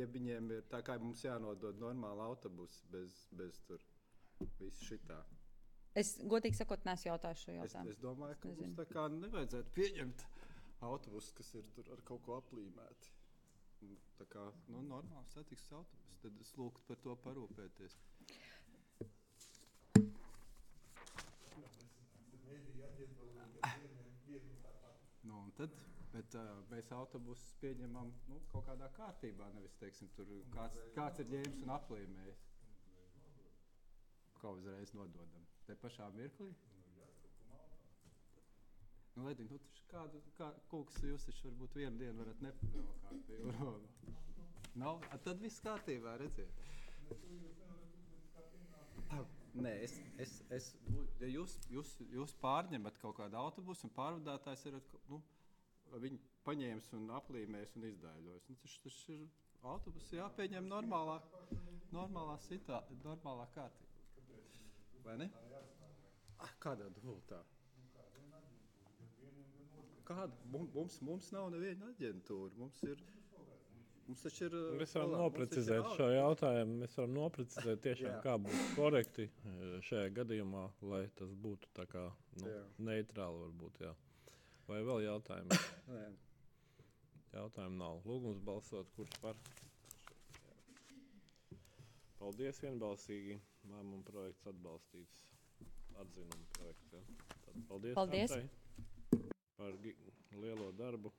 viņiem ir tā kā mums jānodod normāli autobusi bez tur visu šitā. Es godīgi sakot, neesmu jautājis šo jautājumu. Es domāju, ka mums tā kā nevajadzētu pieņemt autobusus, kas ir tur ar kaut ko aplīmēti. Tā kā normāli satiksmes autobusi, tad es lūgtu par to parūpēties. Un tad, bet mēs autobusus pieņemam kaut kādā kārtībā, nevis, teiksim, tur kāds ir ņēmis un aplīmējis. Kā uzreiz nododam. Te pašā mirklī? Ledī, kūks jūs taču varbūt vienu dienu varat nepavēlkāt pie jūrona. Tad viss kārtībā, redziet. Nē, ja jūs pārņemat kaut kādu autobusu un pārvadātājs ir, viņi paņēmis un aplīmējis un izdēļojis. Tas ir autobusi jāpieņem normālā kārtībā. Vai ne? Kādā dubultā? Kāda? Mums nav neviena aģentūra. Mums taču ir... Mēs varam noprecizēt šo jautājumu. Mēs varam noprecizēt tiešām, kā būtu korekti šajā gadījumā, lai tas būtu tā kā neitrāli varbūt, jā. Vai vēl jautājumi? Nē. Jautājumu nav. Lūgums balsot, kurš par? Paldies vienbalsīgi. Lēmuma projekts atbalstīts. Atzinuma projekts, jā. Tad paldies. Antai par lielo darbu.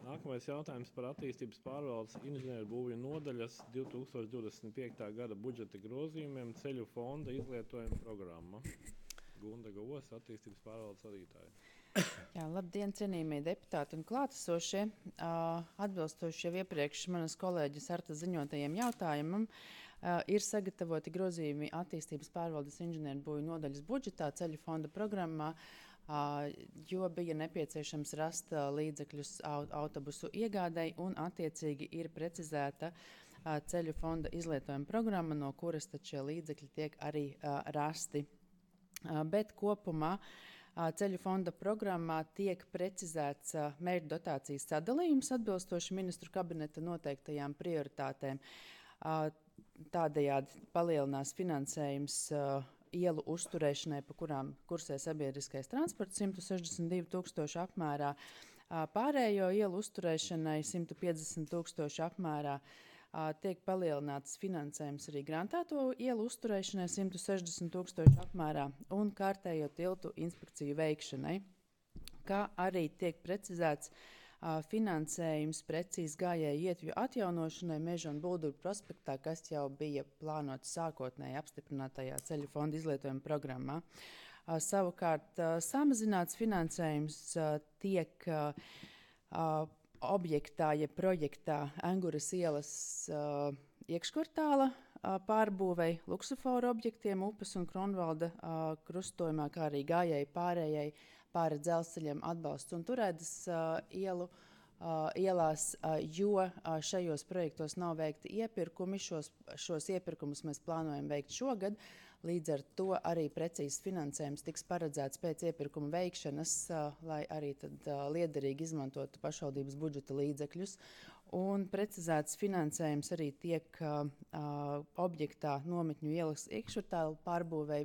Nākamais jautājums par attīstības pārvaldes inženieru būvju nodaļas 2025. gada budžeta grozījumiem ceļu fonda izlietojuma programma. Gunda Govos, attīstības pārvaldes vadītāja. Jā, labdien, cienījamie deputāti un klātesošie. Atbilstoši jau iepriekš manas kolēģis Arta ziņotajiem jautājumam, ir sagatavoti grozījumi attīstības pārvaldes inženieru būvju nodaļas budžetā ceļu fonda programmā, jo bija nepieciešams rast līdzekļus autobusu iegādai un attiecīgi ir precizēta ceļu fonda izlietojuma programma, no kuras tad šie līdzekļi tiek arī rasti. Bet kopumā ceļu fonda programmā tiek precizēts mērķu dotācijas sadalījums atbilstoši ministru kabineta noteiktajām prioritātēm. Tādējādi palielinās finansējums ielu uzturēšanai, pa kurām kursē sabiedriskais transports 162 000 apmērā, pārējo ielu uzturēšanai 150 000 apmērā. Tiek palielināts finansējums arī grantēto ielu uzturēšanai 160 000 apmērā un kārtējo tiltu inspekciju veikšanai, kā arī tiek precizēts finansējums precīzi gājēju ietju atjaunošanai Meža un Bulduru prospektā, kas jau bija plānots sākotnēji apstiprinātajā ceļu fonda izlietojuma programmā. Savukārt samazināts finansējums tiek objektā, ja projektā Enguras ielas iekškvartāla pārbūvei, luksuforu objektiem upes un Kronvalda krustojumā, kā arī gājēji pārējai pāri dzelzceļiem atbalsts un Turēdas ielās, jo šajos projektos nav veikti iepirkumi. Šos iepirkumus mēs plānojam veikt šogad. Līdz ar to arī precīzs finansējums tiks paredzēts pēc iepirkuma veikšanas, lai arī tad liederīgi izmantotu pašvaldības budžeta līdzekļus. Un precizēts finansējums arī tiek objektā Nometņu ielas iekšvartāla pārbūvei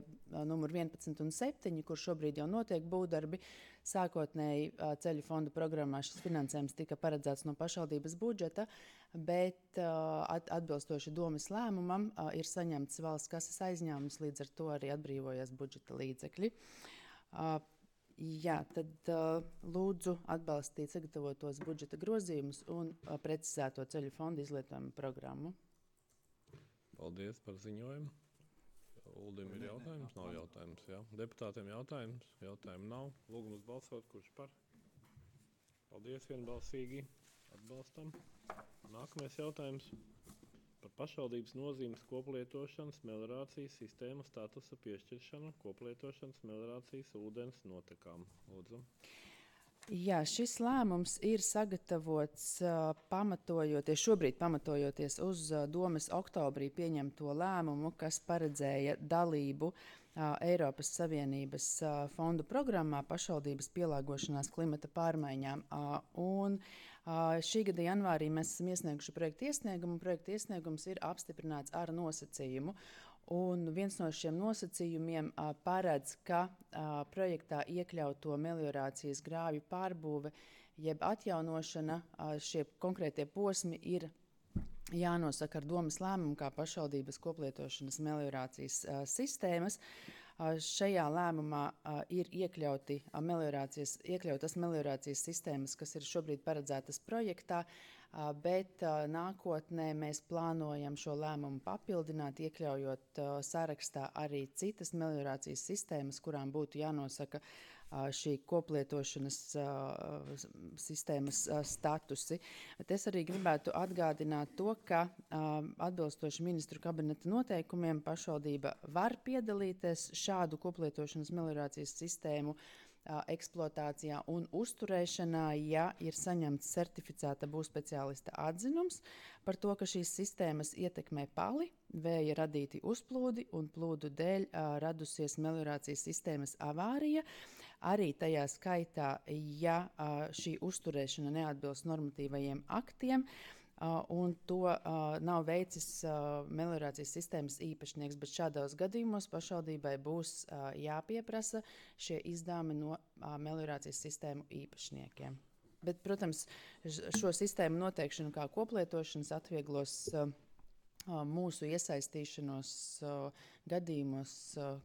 numur 11 un 7, kur šobrīd jau notiek būvdarbi. Sākotnēji ceļu fonda programmā šis finansējums tika paredzēts no pašvaldības budžeta, bet atbilstoši domes lēmumam ir saņemts valsts kases aizņēmums, līdz ar to arī atbrīvojas budžeta līdzekļi. Tad lūdzu atbalstīt sagatavotos budžeta grozījumus un precizēto ceļu fonda izlietojumu programmu. Paldies par ziņojumu. Uldim ir jautājums? Nav jautājums, jā. Deputātiem jautājums? Jautājumu nav. Lūgums balsot, kurš par? Paldies, vienbalsīgi. Atbalstam. Nākamais jautājums par pašvaldības nozīmes koplietošanas meliorācijas sistēmu statusa piešķiršanu koplietošanas meliorācijas ūdens notekām. Lūdzu. Jā, šis lēmums ir sagatavots šobrīd pamatojoties uz domes oktobrī pieņemto lēmumu, kas paredzēja dalību Eiropas Savienības fondu programmā pašvaldības pielāgošanās klimata pārmaiņām. Šī gada janvārī mēs esam iesnieguši projekta iesniegumu. Projekta iesniegums ir apstiprināts ar nosacījumu. Un viens no šiem nosacījumiem paredz, ka projektā iekļauto meliorācijas grāvju pārbūve jeb atjaunošana, šie konkrētie posmi ir jānosaka ar domes lēmumu kā pašvaldības koplietošanas meliorācijas sistēmas. Šajā lēmumā ir iekļautas meliorācijas sistēmas, kas ir šobrīd paredzētas projektā, bet nākotnē mēs plānojam šo lēmumu papildināt, iekļaujot sarakstā arī citas meliorācijas sistēmas, kurām būtu jānosaka šī koplietošanas sistēmas statusi. Bet es arī gribētu atgādināt to, ka atbilstoši ministru kabineta noteikumiem pašvaldība var piedalīties šādu koplietošanas meliorācijas sistēmu eksploatācijā un uzturēšanā, ja ir saņemts certificēta būvspeciālista atzinums par to, ka šīs sistēmas ietekmē pali, vēja radīti uzplūdi un plūdu dēļ radusies meliorācijas sistēmas avārija. Arī tajā skaitā, ja šī uzturēšana neatbilst normatīvajiem aktiem, un to nav veicis meliorācijas sistēmas īpašnieks, bet šādos gadījumos pašvaldībai būs jāpieprasa šie izdevumi no meliorācijas sistēmu īpašniekiem. Bet, protams, šo sistēmu noteikšanu kā koplietošanas atvieglos mūsu iesaistīšanos gadījumos,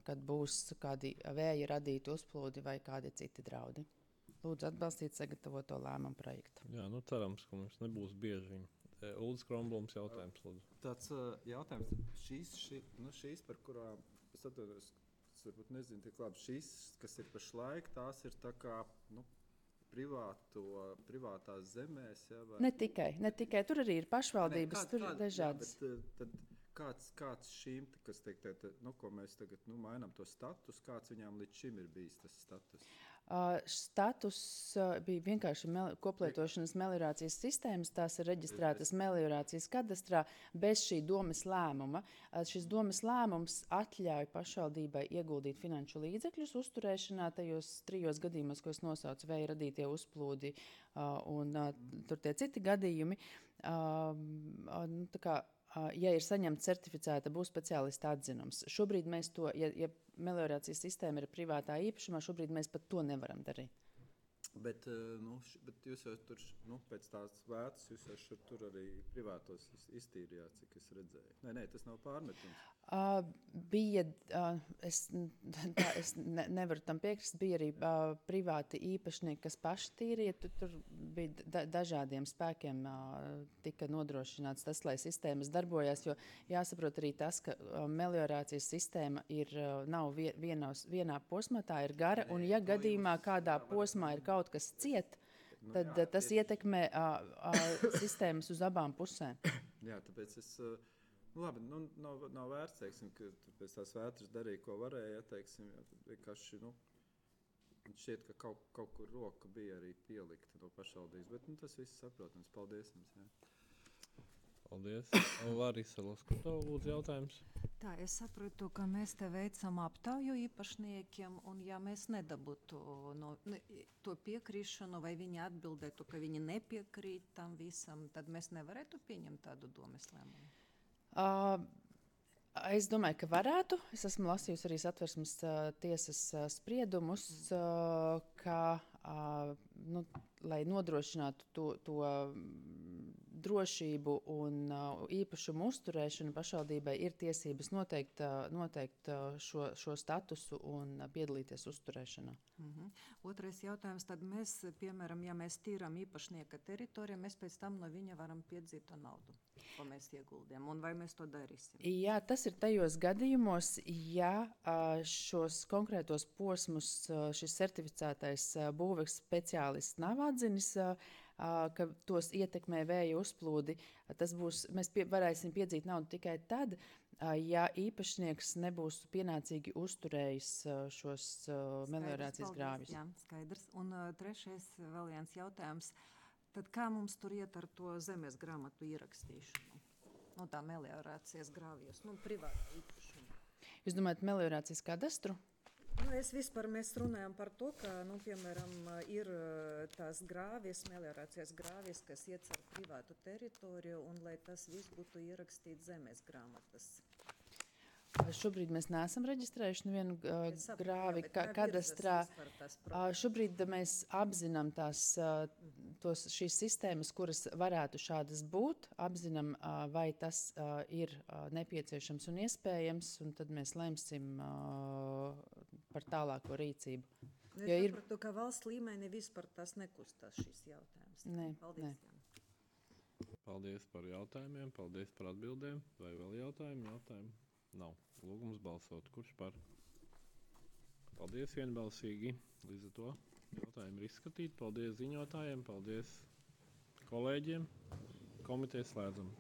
kad būs kādi vēja radīti uzplūdi vai kādi citi draudi. Lūdzu atbalstīt sagatavoto lēmumu projektu. Jā, cerams, ka mums nebūs bieži viņi. Uldis Kronblums jautājums, lūdzu. Tāds jautājums, šīs, par kurām es atvainojos, es varbūt nezinu tik labi, šīs, kas ir pašlaik, tās ir tā kā, privātās zemēs, ja, vai? Ne tikai, tur arī ir pašvaldības, tur ir dažādas. Tad kāds šīm, kas teikt, ko mēs tagad mainām to status, kāds viņām līdz šim ir bijis tas status? Status bija vienkārši koplietošanas meliorācijas sistēmas, tās ir reģistrētas meliorācijas kadastrā bez šī domes lēmuma. Šis domes lēmums atļauj pašvaldībai ieguldīt finanšu līdzekļus uzturēšanā tajos 3 gadījumos, ko es nosaucu, vēja radītie uzplūdi un tur tie citi gadījumi. Ja ir saņemta certificēta būs speciālista atzinums. Šobrīd mēs to, ja meliorācijas sistēma ir privātā īpašumā, šobrīd mēs pat to nevaram darīt. Bet jūs jau tur, pēc tās vētas, jūs jau tur arī privātos iztīrījāt, cik es redzēju. Nē, tas nav pārmetums. Es nevaru tam piekrist. Bija arī privāti īpašnieki, kas paši tīrīja. Tur bija dažādiem spēkiem tika nodrošināts tas, lai sistēmas darbojās, jo jāsaprot arī tas, ka meliorācijas sistēma nav vienā posmā, tā ir gara, un ja gadījumā kādā posmā ir kaut kas ciet, tad tas ietekmē sistēmas uz abām pusēm. Jā, tāpēc es... labi, nav vērts, teiksim, ka pēc tās vētras darīja, ko varēja, teiksim, vienkārši, šķiet, ka kaut kur roka bija arī pielikta no pašvaldības, bet tas viss saprotams. Paldies jums, jā. Paldies. Larisa Loskutova, lūdzu jautājums. Tā, es saprotu, ka mēs te veicam aptauju īpašniekiem, un ja mēs nedabūtu to piekrišanu, vai viņi atbildētu, ka viņi nepiekrīt tam visam, tad mēs nevarētu pieņemt tādu domes lēmumu. Es domāju, ka varētu. Es esmu lasījusi arī Satversmes tiesas spriedumus, ka, lai nodrošinātu to drošību un īpašumu uzturēšanu, pašvaldībai ir tiesības noteikt šo statusu un piedalīties uzturēšanā. Otrais jautājums, tad mēs, piemēram, ja mēs tīram īpašnieka teritoriju, mēs pēc tam no viņa varam piedzīt to naudu, ko mēs ieguldījām, un vai mēs to darīsim? Jā, tas ir tajos gadījumos, ja šos konkrētos posmus šis certificētais būves speciālists nav atzinis, ka tos ietekmē vēja uzplūdi, mēs varēsim piedzīt naudu tikai tad, ja īpašnieks nebūs pienācīgi uzturējis šos meliorācijas grāvjus. Jā, skaidrs. Un trešais vēl viens jautājums. Tad kā mums tur iet ar to zemes grāmatu ierakstīšanu? Tā meliorācijas grāvjus, privāti īpašumu. Jūs domājat meliorācijas kadastru? Mēs runājam par to, ka, piemēram, ir tās grāvjas, meliorācijas grāvjas, kas iet ar privātu teritoriju, un lai tas viss būtu ierakstīts zemes grāmatas. Šobrīd mēs neesam reģistrējuši nevienu grāvi kadastrā. Šobrīd mēs apzinām šīs sistēmas, kuras varētu šādas būt, apzinām, vai tas ir nepieciešams un iespējams, un tad mēs lemsim par tālāko rīcību. Es sapratu, ka valsts līmenī vispār tas nekustās šis jautājums. Paldies. Paldies par jautājumiem, paldies par atbildēm. Vai vēl jautājumi? Nav. Lūgums balsot. Kurš par? Paldies vienbalsīgi. Līdz ar to jautājumi ir izskatīti. Paldies ziņotājiem, paldies kolēģiem. Komiteja slēdzam.